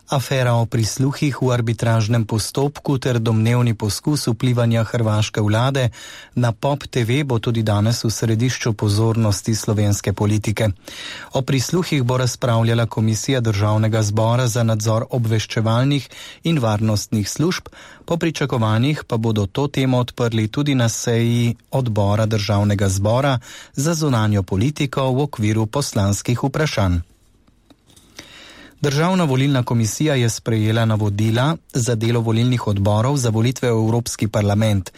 Afera o prisluhih v arbitražnem postopku ter domnevni poskus vplivanja hrvaške vlade na POP TV bo tudi danes v središču pozornosti slovenske politike. O prisluhih bo razpravljala Komisija Državnega zbora za nadzor obveščevalnih in varnostnih služb, po pričakovanjih pa bodo to temo odprli tudi na seji odbora Državnega zbora za zunanjo politiko v okviru poslanskih vprašanj. Državna volilna komisija je sprejela navodila za delo volilnih odborov za volitve v Evropski parlament.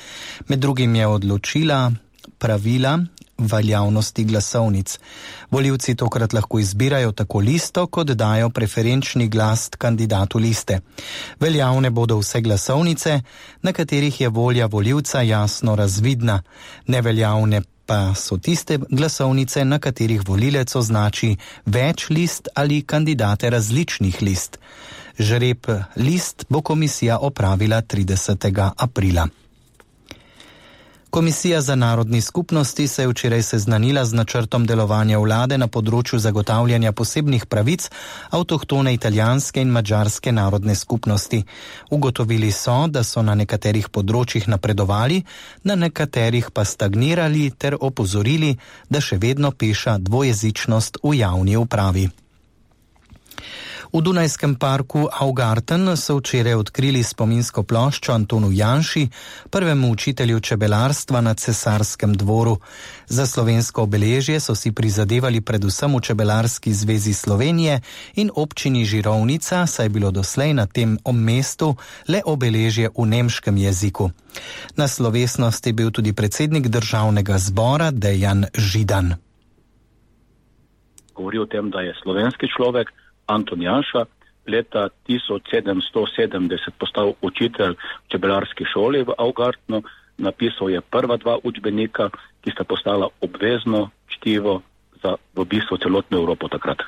Med drugim je odločila pravila veljavnosti glasovnic. Volivci tokrat lahko izbirajo tako listo, kot dajo preferenčni glas kandidatu liste. Veljavne bodo vse glasovnice, na katerih je volja volivca jasno razvidna. Neveljavne pa so tiste glasovnice, na katerih volilec označi več list ali kandidate različnih list. Žreb list bo komisija opravila 30. aprila. Komisija za narodni skupnosti se je včeraj seznanila z načrtom delovanja vlade na področju zagotavljanja posebnih pravic avtohtone italijanske in madžarske narodne skupnosti. Ugotovili so, da so na nekaterih področjih napredovali, na nekaterih pa stagnirali ter opozorili, da še vedno peša dvojezičnost v javni upravi. V Dunajskem parku Augarten so včeraj odkrili spominsko ploščo Antonu Janši, prvemu učitelju čebelarstva na Cesarskem dvoru. Za slovensko obeležje so si prizadevali predvsem v Čebelarski zvezi Slovenije in občini Žirovnica, saj je bilo doslej na tem mestu le obeležje v nemškem jeziku. Na slovesnosti je bil tudi predsednik Državnega zbora Dejan Židan. Govori o tem, da je slovenski človek Anton Janša leta 1770 postal učitelj v čebelarski šoli v Augartnu, napisal je prva 2 učbenika, ki sta postala obvezno čtivo za v bistvu celotno Evropo takrat.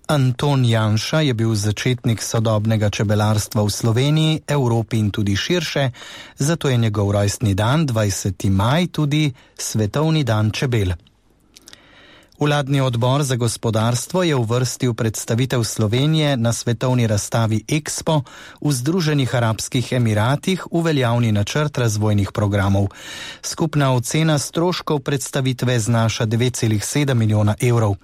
Anton Janša je bil začetnik sodobnega čebelarstva v Sloveniji, Evropi in tudi širše, zato je njegov rojstni dan 20. maj tudi svetovni dan čebel. Vladni odbor za gospodarstvo je uvrstil predstavitev Slovenije na svetovni razstavi Expo v Združenih arabskih emiratih v veljavni načrt razvojnih programov. Skupna ocena stroškov predstavitve znaša 9,7 milijona evrov.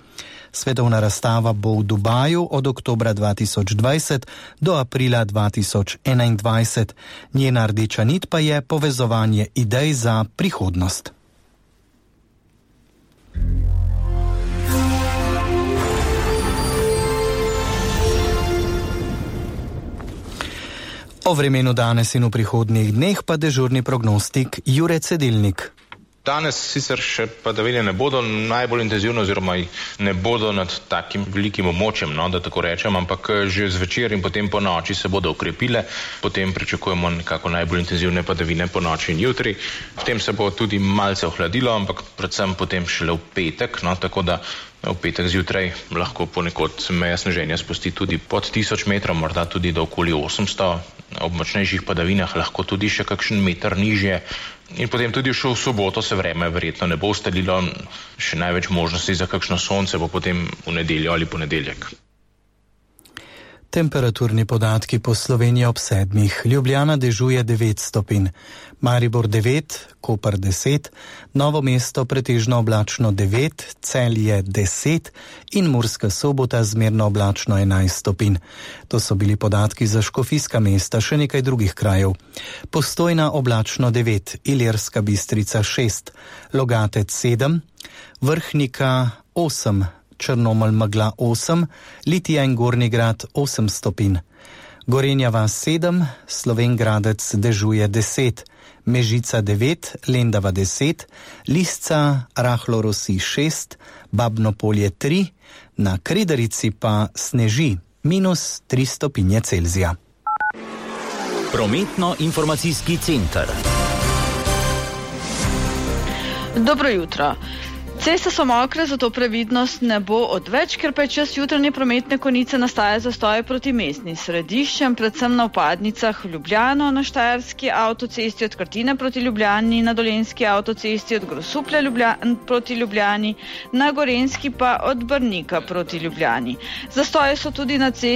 Svetovna razstava bo v Dubaju od oktobra 2020 do aprila 2021. Njena rdeča nit pa je povezovanje idej za prihodnost. O vremenu danes in v prihodnjih dneh pa dežurni prognostik Jure Cedilnik. Danes sicer še padavine ne bodo najbolj intenzivno oziroma ne bodo nad takim velikim območjem, da tako rečem, ampak že zvečer in potem po noči se bodo ukrepile, potem pričakujemo nekako najbolj intenzivne padavine po noči in jutri. Potem se bo tudi malce ohladilo, ampak predvsem potem šele v petek, tako da v petek zjutraj lahko ponekod meja sneženja spusti tudi pod 1000 metrov, morda tudi do okoli 800, ob močnejših padavinah lahko tudi še kakšen meter nižje. In potem tudi še v soboto se vreme verjetno ne bo ustalilo, še največ možnosti za kakšno sonce bo potem v nedeljo ali ponedeljek. Temperaturni podatki po Sloveniji ob 7. Ljubljana dežuje 9 stopinj, Maribor 9, Koper 10, Novo mesto pretežno oblačno 9, Celje 10 in Murska Sobota zmerno oblačno 11 stopinj. To so bili podatki za škofijska mesta, še nekaj drugih krajev. Postojna oblačno 9, Ilirska Bistrica 6, Logatec 7, Vrhnika 8, Črnomelj megla 8, Litija in Gornji Grad 8 stopinj. Gorenja vas 7, Slovenj Gradec dežuje 10, Mežica 9, Lendava 10, Lisca rahlo rosi 6, Babno Polje 3, na Kredarici pa sneži -3 stopinje Celzija. Prometno-informacijski center. Dobro jutro. Ceste so mokre, zato previdnost ne bo odveč, ker pa je čas jutranje prometne konice nastaja zastoje proti mestnim središčem, predvsem na vpadnicah v Ljubljano, na Štajerski avtocesti od Krtine proti Ljubljani, na Dolenjski avtocesti od Grosuplja proti Ljubljani, na Gorenjski pa od Brnika proti Ljubljani. Zastoje so tudi na cesti